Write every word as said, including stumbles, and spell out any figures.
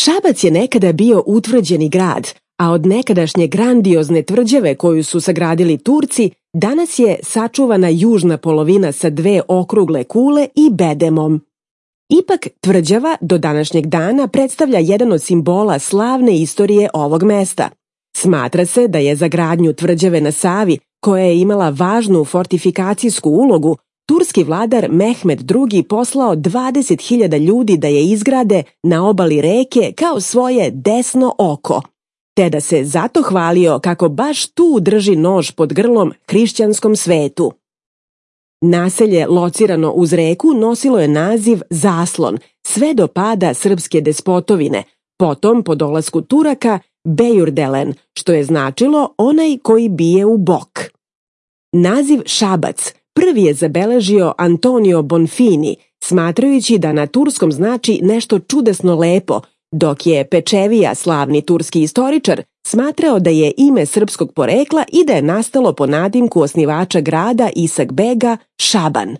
Šabac je nekada bio utvrđeni grad, a od nekadašnje grandiozne tvrđave koju su sagradili Turci, danas je sačuvana južna polovina sa dve okrugle kule i bedemom. Ipak, tvrđava do današnjeg dana predstavlja jedan od simbola slavne istorije ovog mesta. Smatra se da je za gradnju tvrđave na Savi, koja je imala važnu fortifikacijsku ulogu, turski vladar Mehmed drugi poslao dvadeset hiljada ljudi da je izgrade na obali reke kao svoje desno oko, te da se zato hvalio kako baš tu drži nož pod grlom hrišćanskom svetu. Naselje locirano uz reku nosilo je naziv Zaslon sve do pada srpske despotovine, potom po dolasku Turaka Bejurdelen, što je značilo onaj koji bije u bok. Naziv Šabac prvi je zabeležio Antonio Bonfini, smatrajući da na turskom znači nešto čudesno lepo, dok je Pečevija, slavni turski istoričar, smatrao da je ime srpskog porekla i da je nastalo po nadimku osnivača grada Isak Bega Šaban.